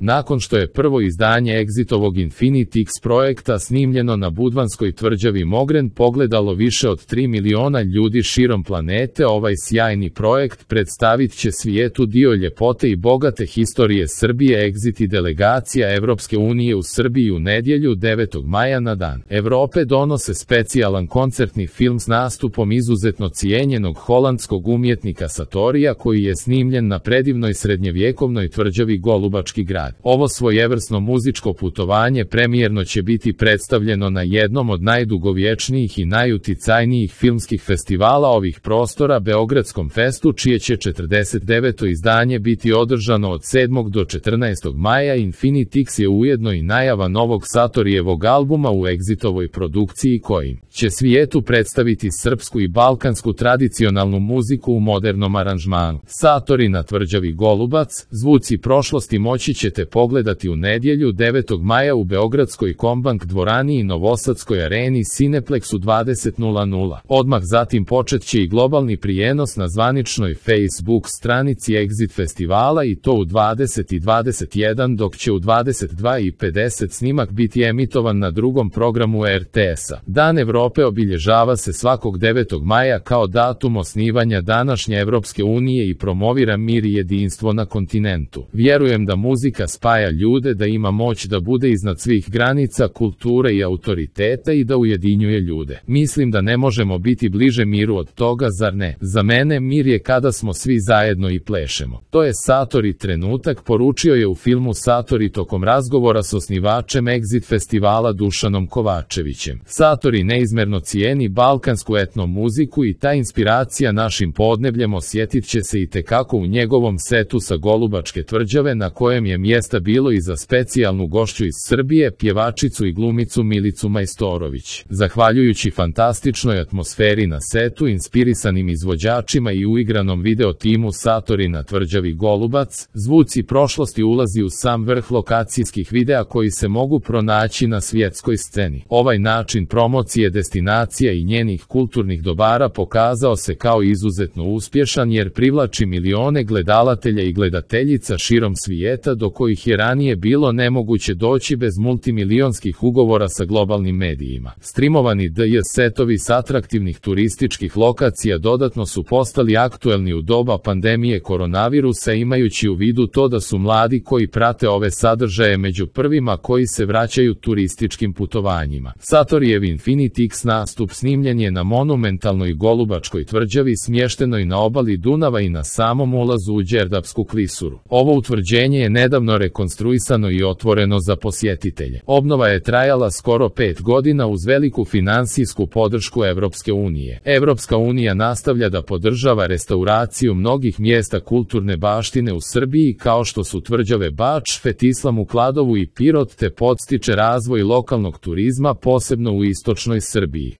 Nakon što je prvo izdanje Exitovog Infinity X projekta snimljeno na budvanskoj tvrđavi Mogren pogledalo više od 3 miliona ljudi širom planete, ovaj sjajni projekt predstavit će svijetu dio ljepote i bogate historije Srbije. Exit i delegacija Evropske unije u Srbiji u nedjelju 9. maja na Dan Evrope donose specijalan koncertni film s nastupom izuzetno cijenjenog holandskog umjetnika Satorija, koji je snimljen na predivnoj srednjevjekovnoj tvrđavi Golubački grad. Ovo svojevrsno muzičko putovanje premijerno će biti predstavljeno na jednom od najdugovječnijih i najuticajnijih filmskih festivala ovih prostora, Beogradskom festu, čije će 49. izdanje biti održano od 7. do 14. maja. Infinity X je ujedno i najava novog Satorijevog albuma u Exitovoj produkciji, kojim će svijetu predstaviti srpsku i balkansku tradicionalnu muziku u modernom aranžmanu. Satori na tvrđavi Golubac, zvuci prošlosti moći ćete pogledati u nedjelju 9. maja u Beogradskoj Kombank dvorani i Novosadskoj areni Cineplex u 20:00. Odmah zatim počet će i globalni prijenos na zvaničnoj Facebook stranici Exit festivala, i to u 20:21, dok će u 22:50 snimak biti emitovan na drugom programu RTS-a. Dan Evrope obilježava se svakog 9. maja kao datum osnivanja današnje Evropske unije i promovira mir i jedinstvo na kontinentu. Vjerujem da muzika spaja ljude, da ima moć da bude iznad svih granica, kulture i autoriteta i da ujedinjuje ljude. Mislim da ne možemo biti bliže miru od toga, zar ne? Za mene mir je kada smo svi zajedno i plešemo. To je Satori trenutak, poručio je u filmu Satori tokom razgovora s osnivačem Exit festivala Dušanom Kovačevićem. Satori neizmerno cijeni balkansku etno muziku i ta inspiracija našim podnebljem osjetit će se i tekako u njegovom setu sa Golubačke tvrđave, na kojem je mjesta bilo i za specijalnu gošću iz Srbije, pjevačicu i glumicu Milicu Majstorović. Zahvaljujući fantastičnoj atmosferi na setu, inspirisanim izvođačima i uigranom video timu Satori na tvrđavi Golubac, zvuci prošlosti ulazi u sam vrh lokacijskih videa koji se mogu pronaći na svjetskoj sceni. Ovaj način promocije destinacija i njenih kulturnih dobara pokazao se kao izuzetno uspješan, jer privlači milione gledalatelja i gledateljica širom svijeta, do kojih je ranije bilo nemoguće doći bez multimilionskih ugovora sa globalnim medijima. Streamovani DJ setovi s atraktivnih turističkih lokacija dodatno su postali aktuelni u doba pandemije koronavirusa, imajući u vidu to da su mladi koji prate ove sadržaje među prvima koji se vraćaju turističkim putovanjima. Satorijev Infinity X nastup snimljen je na monumentalnoj Golubačkoj tvrđavi, smještenoj na obali Dunava i na samom ulazu u Đerdapsku klisuru. Ovo utvrđenje je nedavno rekonstruisano i otvoreno za posjetitelje. Obnova je trajala skoro 5 godina uz veliku finansijsku podršku Evropske unije. Evropska unija nastavlja da podržava restauraciju mnogih mjesta kulturne baštine u Srbiji, kao što su tvrđave Bač, Fetislam u Kladovu i Pirot, te podstiče razvoj lokalnog turizma, posebno u istočnoj Srbiji.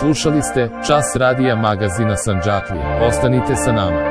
Slušali ste Čas radija magazina Sandžaklija. Ostanite sa nama.